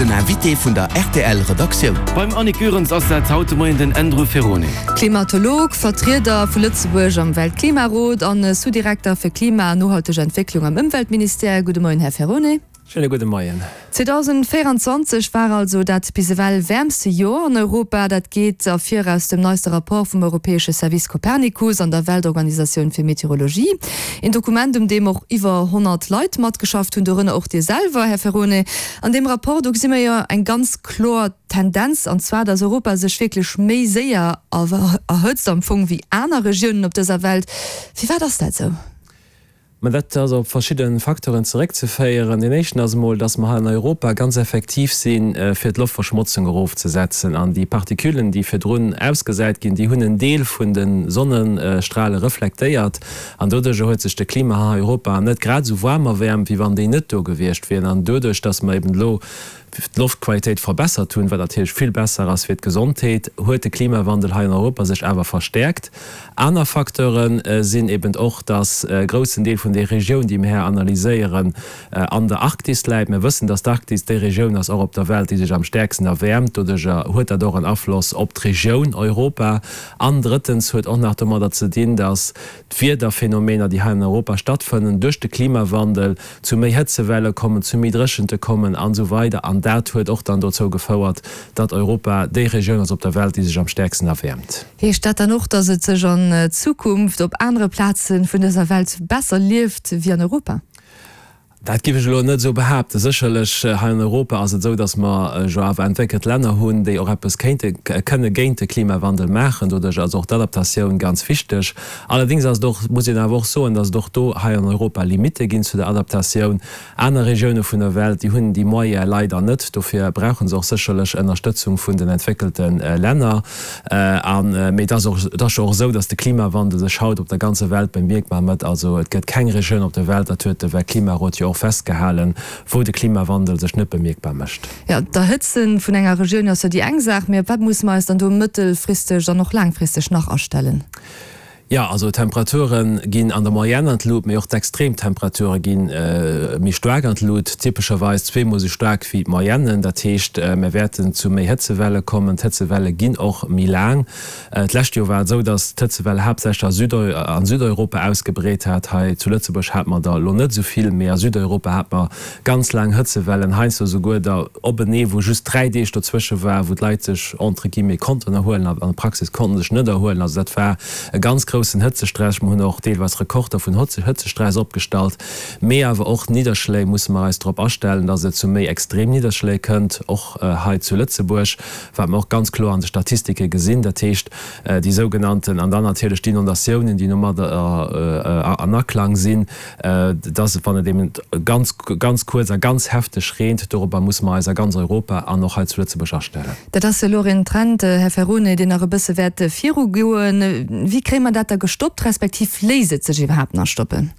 Den Invité vun der rtl Redaktioun. Beim Annick Goerens ass dat haut de Moien den Andrew Ferrone. Klimatolog, Vertrieder vu Lëtzebuerg am Weltklimarot an Sous-Direkter fir Klima an nohalteg Entwécklung am Ëmweltministère. Gudde Moien, Här Ferrone. Schéine gudde Moien. 2024 war also dat bis ewell wäermste Joer an Europa. Dat geet ervir aus dem neiste Rapport vum europäesche Service Copernicus an der Weltorganisatioun fir Meteorologie. Een Dokument, um deem och iwwer 100 Leit matgeschafft hunn, dorënner och Dir selwer, Här Ferrone. An deem Rapport, do gesi mer jo eng ganz kloer Tendenz, an zwar, datt Europa sech wierklech méi séier erhëtzt am Fong wéi aner Regiounen op dëser Welt. Firwat ass dat esou? Mä dat ass op verschidde Facteuren zeréckzeféieren. Deen éischten ass emol, dass mer hei an Europa ganz effektiv sinn, fir d'Loftverschmotzung erofzesetzen. An déi Particulen, déi virdrun ausgesäit ginn, déi hunn en Deel vun de Sonnestrale reflektéiert. An doduerjer huet sech de Klima hei an Europa net grad esou waarm erwäermt, wéi wann déi net do gewiescht wieren. An doduerch, dass mer eben elo d'Loftqualitéit verbessert hunn, wat natierlech vill besser ass fir d'Gesondheet, huet de Klimawandel hei an Europa sech awer verstäerkt. Aner Facteure sinn eben och, dass e groussen Deel vun där Regioun, déi mir hei analyséieren, an der Arktis läit. Mir wëssen, dass d'Arktis déi Regioun ass och op der Welt, déi sech am stäerksten erwäermt. Doduerjer huet dat och en Afloss op d'Regioun Europa. An drëttens huet och nach domadder ze dinn, dass d'Wiederphänomener, déi hei an Europa stattfënnen, duerch de Klimawandel zu méi Hëtzewelle kommen, zu méi Dréchente kommen an esou weider. An dat huet och dann dozou gefouert, datt Europa déi Regioun ass op der Welt, déi sech am stäerksten erwäermt. Heescht dat dann och, datt et sech an Zukunft op anere Plaze vun dëser Welt besser lieft wéi an Europa? Dat géif ech elo net esou behaapten. Sécherlech, hei an Europa ass et esou, datt mer jo awer entwéckelt Länner hunn, déi och eppes kéinte, kënne géint de Klimawandel maachen. Doduerch ass och d'Adaptatioun ganz wichteg. Allerdéngs ass et och, muss een awer och soen, datt et och do hei an Europa Limitte ginn zu der Adaptatioun. Aner Regioune vun der Welt, déi hunn déi Moyene leider net. Dofir brauche se och sécherlech Ënnerstëtzung vun den entwéckelte Länner. A mee et ass och, et ass jo och esou, datt de Klimawandel sech haut op der ganzer Welt bemierkbar mécht. Also et gëtt keng Regioun op der Welt, dat huet de Weltklimarot jo och festgehalen, wou de Klimawandel sech net bemierkbar mécht. Jo, d'Erhëtze vun enger Regioun ass jo déi eng Saach, mee op wat musse mer eis dann do mëttelfristeg an och laangfristeg nach astellen? Jo, also d'Temperature ginn an der Moyenne an d'Lut, mee och d'Extremtemperature gi méi staark an d'Lut, typescherweis zweemol esou staark wéi d'Moyenne. Dat heescht, mir wäerten zu méi Hëtzewelle kommen. D'Hëtzewelle ginn och méi laang. D'lescht Joer war et esou, datt d'Hëtzewell haaptsächlech a Südeuropa ausgebreet hat. Hei zu Lëtzebuerg hate mer der elo net esou vill, mee a Südeuropa hate mer ganz laang Hëtzewellen, heiansdo esouguer der openee, wou just 3 Deeg dozwësche war, wou d'Leit sech entre guillemets konnten erhuelen, an der Praxis konnten sech net erhuelen. Also dat war e ganz groussen Hëtzestress. Mer hunn och deelweis Rekorder vun Hëtzestress opgestallt. Mee awer och Nidderschléi musse mer eis drop astellen, dass et zu méi extrem Nidderschléi kënnt, och hei zu Lëtzebuerg, wat mer och ganz kloer an de Statistike gesinn. Dat heescht, déi sougenannten, an dann natierlech d'Inondatiounen, déi domadder an Aklang sinn, dass et, wann et eben ganz, ganz kuerz a ganz hefteg reent, dorobber musse mer eis a ganz Europa an och hei zu Lëtzebuerg astellen. Dat ass jo elo och een Trend, Här Ferrone, deen nach e bësse wäert virugoen. Wéi kréie mer dat da gestoppt, respektiv léisst et sech iwwerhaapt nach stoppen?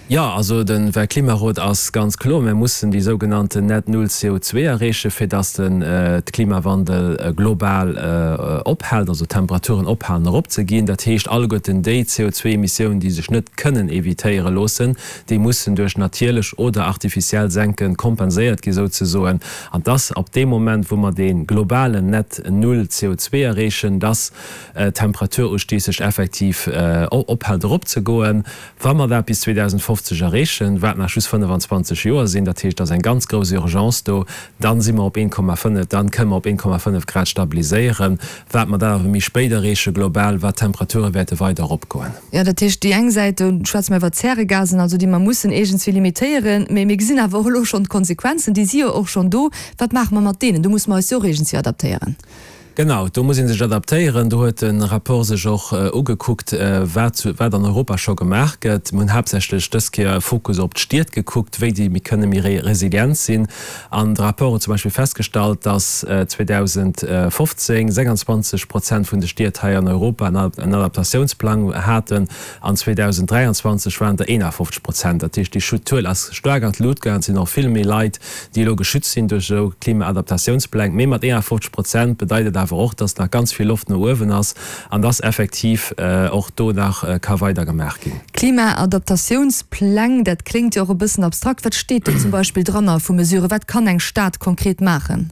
Jo, also de Weltklimarot ass ganz kloer, Mir mussen déi sougenannten Net Null CO2 erreechen, fir dass de Klimawandel global ophält, also d'Temperaturen ophalen eropzeginn. Dat heescht, alleguerten déi CO2-Emissiounen, déi sech net kënnen evitéiere loossen, déi mussen duerch natierlech oder artificiell Senke kompenséiert gi souzesoen. An dass ab deem Moment, wou mer dee globalen Net Null CO2 erreechen, dass d'Temperaturustieg sech effektiv ophält eropzegoen. Wa mer dat bis 2050 erreechen, wat nach just 25 Joer sinn, dat heescht, et ass eng ganz grouss Urgence do, dann si mer op 1,5, dann kënnen mer op 1,5 Grad stabiliséieren. Wat mer dat awer méi spéit erreeche global, wat d'Temperature wäerte weider eropgoen. Jo, dat heescht, déi eng Säit, do schwätze mer iwwer Zäregasen, also déi mer mussen iergendswéi limitéieren, mä mir gesinn awer och elo schonn d'Konsequenzen, déi si jo och schonn do. Wat maache mer mat deenen? Do musse mer eis jo och iergendswéi adaptéieren. Genau, do muss ee sech adaptéieren. Do huet de Rapport sech och ugekuckt, wat wat an Europa scho gemaach gëtt. Mir hunn haaptsächlech dës Kéier e Fokus op d'Stied gekuckt, wéi déi méi kënne méi resilient sinn. An de Rapport huet zum Beispill festgestallt, datt 2015 26 Prozent vun de Stied hei an Europa en Adaptatiounsplang haten an 2023 waren der 51 Prozent. Dat heescht, déi Zuel ass staark an d'Lut gaangen. Et sinn och vill méi Leit, déi elo geschützt sinn duerch esou Klimaadaptatiounspläng. Mee mat 51 Prozent bedeit et awer. awer och, dass nach ganz vill Loft no uewen ass an dass effektiv och do nach ka weider gemaach ginn. Klimaadaptatiounspläng, dat kléngt jo och e bëssen abstrakt. Wat steet do zum Beispill dranner vu Mesuren? Wat kann eng Stad konkret maachen?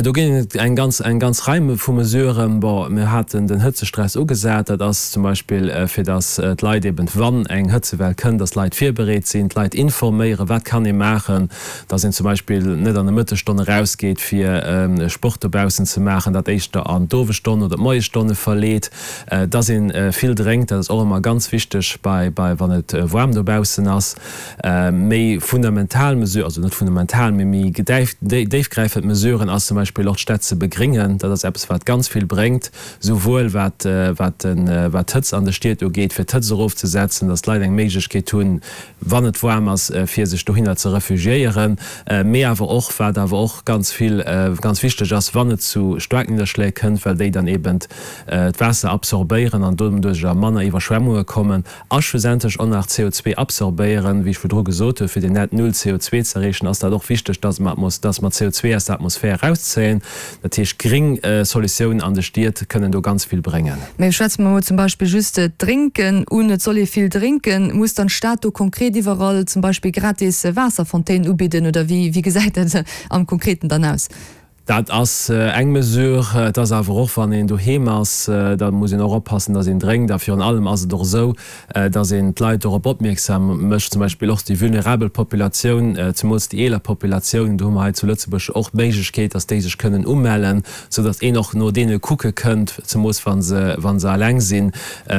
Do ginn et eng ganz, eng ganz Rei vu Mesuren. Bon, mir haten den Hëtzestress ugesat. Dat ass zum Beispill, fir datt d'Leit eben, wann eng Hëtzewell kënnt, datt d'Leit virbereet sinn, d'Leit informéieren, wat kann ee maachen, datt een zum Beispill net an de Mëttesstonne erausgeet, fir Sport dobaussen ze maachen, dat éischter an d'Owesstonne oder d'Moiesstonne verleet, datt ee vill drénkt, dat ass och ëmmer ganz wichteg bei, bei, wann et waarm dobaussen ass. Méi fundamental Mesuren, also net fundamental, mee méi déifgräifend Mesuren ass zum Beispill och d'Städt ze begringen. Dat ass eppes, wat ganz vill bréngt, souwuel wat d'Hëtzt an de Stied ugeet, fir d'Hëtzt erofzesetzen, datt d'Leit eng Méiglechkeet hunn, wann et waarm ass, fir sech dohinner ze refugiéieren, mee awer och, wat awer och ganz vill, ganz wichteg ass, wann et zu Staarknidderschléi kënnt, well déi dann eben d'Waasser absorbéieren an doduercher manner Iwwerschwemmunge kommen. A schlussendlech och nach CO2 absorbéieren. Wéi ech virdru gesot hunn, fir den Net Null CO2 ze erreechen, ass dat och wichteg, dass mer dass mer CO2 aus der Atmosphär erauszéien. Dat heescht, gréng Solutiounen an de Stied kënnen do ganz vill bréngen. Mä schwätze mer emol zum Beispill just d'Drénken un. Et soll ee vill drénken. Muss dann d'Stad do konkret iwwerall zum Beispill gratis Waasserfontänen ubidden oder wéi gesäit dat am Konkreten dann aus? Dat ass eng Mesure. Et ass awer och, wann een doheem ass, da muss een och oppassen, datt een drénkt. A virun allem ass et och esou, datt een d'Leit dorop opmierksam mécht, zum Beispill och déi vulnerabel Populatioun, zemools déi eeler Populatioun. Do hu mer hei zu Lëtzebuerg jo och d'Méiglechkeet, datt déi sech kënnen umellen, soudatt een och no deene kucke kënnt, zemools wa se, wa se eleng sinn,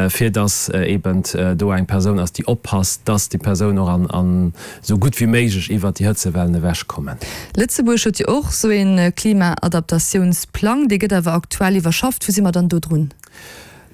fir datt eeben do eng Persoun ass, déi oppasst, datt déi Persoun och an Sou gutt wéi méiglech iwwert déi Hëtzewellen ewech kommen. Lëtzebuerg huet jo och sou een Klimaadaptatiounsplang, dee gëtt awer aktuell iwwerschafft. Wou si mer dann do drun?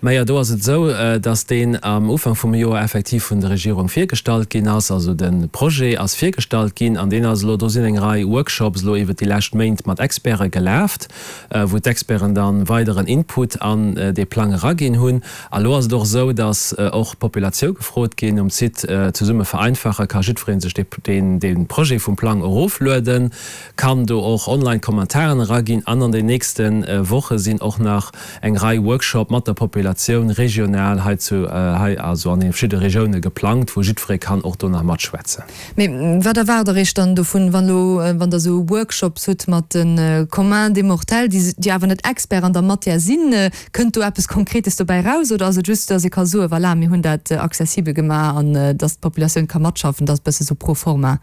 Majo, do ass et esou, datt deen am Ufank vum Joer effektiv vun der Regierung virgestallt ginn ass. Also de Projet ass virgestallt ginn an deen ass elo, do sinn eng Rei Workshops elo iwwert déi lescht Méint mat Experte gelaft, wou d'Experten da weideren Input an dee Plang eraginn hunn. A lo ass et och esou, datt och d'Populatioun gefrot ginn. Um Site Zesumme vereinfache ka jiddweree sech dee Projet vum Plang eroflueden, kann do och online Kommentaren eraginn an an den nächste Woche sinn och nach eng Rei Workshop mat der Populatioun regional hei zu hei also an den verschidde Regioune geplangt, wou jiddweree kann och do nach matschwätzen. Mee wat erwaart Der Iech dann dovun, wann elo, wann Der esou Workshops hutt mat de Commun des mortels, déi déi awer net Expert an der Matière sinn? Kënnt do eppes Konkretes dobäi raus oder ass et just, datt ee ka soen, voilà, mir hunn dat accessibel gemaach an datt d'Populatioun ka matschaffen, dat ass e bësse sou pro forma?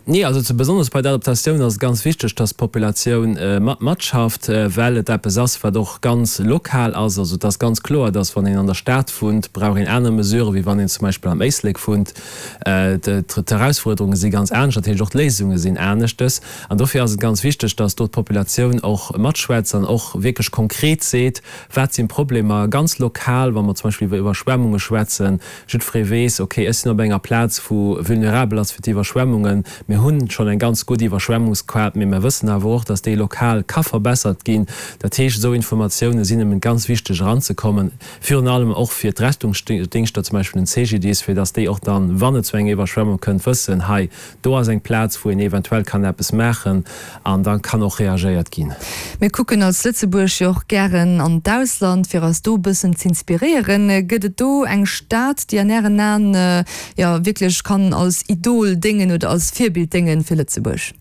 Nee, also zu besonnesch bei der Adaptatioun ass et ganz wichteg, datt d'Populatioun mat matschafft, well et eppes ass, wat och ganz lokal ass. Also et ass ganz kloer, datt wann een an der Stad wunnt, brauch een aner Mesuren, wéi wann een zum Beispill am Éislek wunnt. D'Erausfuerderunge si ganz anescht, dat heescht och d'Léisunge sinn aneschtes. An dofir ass et ganz wichteg, dass do d'Populatioun och matschwätzt an och wierklech konkret seet, wat sinn d'Problemer ganz lokal, wa mer zum Beispill iwwer Iwwerschwemmunge schwätzen. Jiddweree weess, okay, ech sinn op enger Plaz, wou vulnerabel ass fir d'Iwwerschwemmungen. Mir hunn schonn eng ganz gutt Iwwerschwemmungskaart, mee mir wëssen awer och, dass déi lokal ka verbessert ginn. Dat heescht, esou Informatioune sinn eben ganz wichteg eranzekommen. Virun allem och fir d'Rettungsdéngschter, zum Beispill den CGDIS, fir datt déi och dann, wann et zu enger Iwwerschwemmung kënnt, wëssen, hei, do ass eng Plaz, wou een eventuell kann eppes maachen an da kann och reagéiert ginn. Mir kucken als Lëtzebuerg jo och gären an d'Ausland, fir eis do e bëssen z'inspiréieren. Gëtt et do eng Stad, déi an Ären Aen, jo, wierklech kann als Idol déngen oder als Virbild déngen fir Lëtzebuerg?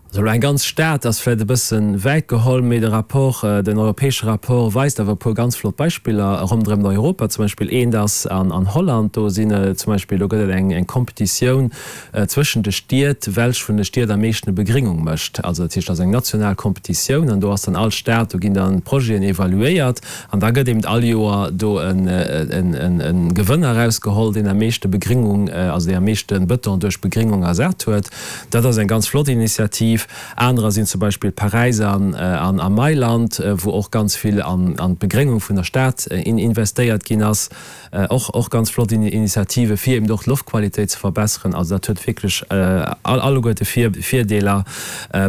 Also elo eng ganz Stad ass vläicht e bësse wäit geholl, mee de Rapport, den europäesche Rapport weist awer e puer ganz flott Beispiller ronderëm Europa. Zum Beispill eent ass an Holland, do sinn zum Beispill, do gëtt et eng eng Kompetitioun zwëschen de Stied, welch vun de Stied am meeschten Begringung mécht. Also dat heescht, dat ass eng national Kompetitioun an do ass dann all Stad, do ginn dann d'Projeten evaluéiert an da gëtt eben all Joer do e Gewënner erausgeholl, deen am meeschte Begringung, also deen am meeschte Bëton duerch Begringung ersat huet. Dat ass eng ganz flott Initiativ. Anerer sinn zum Beispill Paräis an a Mailand, wou och ganz vill an d'Begréngung vun der Stad investéiert ginn ass. Och och ganz flott Initiative fir eben och d'Loftqualitéit ze verbesseren. Also dat huet wierklech alleguerte Virdeeler.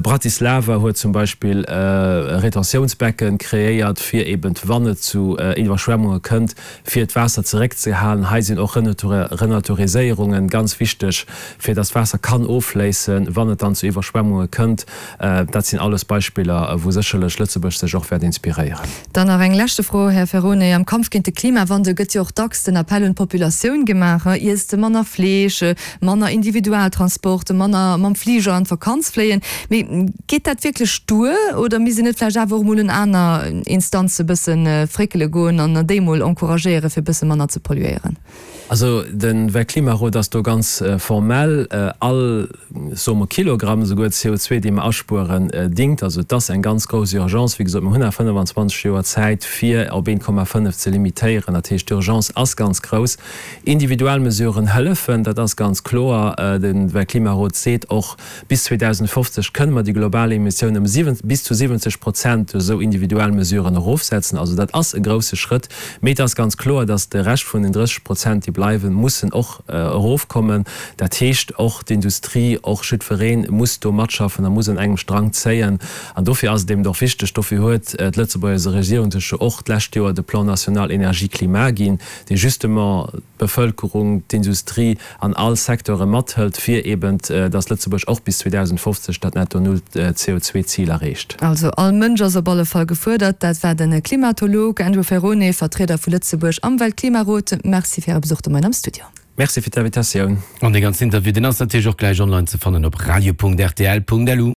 Bratislava huet zum Beispill e Retentiounsbecken kreéiert, fir eben, wann et zu Iwwerschwemmunge kënnt, fir d'Waasser zeréckzehalen. Hei sinn och Renaturiséierungen ganz wichteg, fir dass d'Waasser kann offléissen, wann et dann zu Iwwerschwemmunge kënnt. kënnt. Dat sinn alles Beispiller, wou sécherlech Lëtzebuerg sech och wäert inspiréieren. Dann nach eng leschte Fro, Här Ferone. Am Kampf géint de Klimawandel gëtt jo och dacks den Appell un d'Populatioun gemaach, Iesst manner Fleesch, manner Individualtransport, manner mam Fliger an d'Vakanz fléien. Mee geet dat wierklech duer oder misst een net vläicht awer och emol un aner Instanze bësse fréckele goen an déi emol encouragéieren, fir e bësse manner ze polluéieren? Also de Weltklimarot ass do ganz formell, all, soe mer, Kilogramm esouguer CO2, dee mer aspueren, dingt. Also et ass eng ganz grouss Urgence. Wéi gesot, mer hunn nach 25 Joer Zäit, fir op 1,5 ze limitéieren. Dat heescht, d'Urgence ass ganz grouss. Individualmesuren hëllefen, dat ass ganz kloer. De Weltklimarot seet och, Bis 2050 kënne mer déi global Emissioun ëm bis zu 70 Prozent duerch esou individuell Mesuren erofsetzen. Also dat ass e grousse Schrëtt. Mee et ass ganz kloer, datt de Rescht vun den 30 Prozent, déi bleiwen, mussen och erofkommen. Dat heescht, och d'Industrie, och jiddweree muss do matschaffen a muss un engem Strang zéien. An dofir ass et eben och wichteg, dofir huet d'Lëtzebuerger Regierung sech jo och d'lescht Joer de Plan national énergie-climat ginn, dee justement d'Bevëlkerung, d'Industrie an all Secteure mathëlt, fir eben, dass Lëtzebuerg och bis 2050 dat Netto-Null-CO2-Zil erreecht. Also all Mënsch ass op alle Fall gefuerdert. Dat war de Klimatolog Andrew Ferrone, Vertrieder vu Lëtzebuerg am Weltklimarot. Merci fir Äre Besuch de Moien am Studio. Merci fir d'Invitatioun. An dee ganzen Interview, deen ass natierlech och gläich online ze fannen op radio.rtl.lu.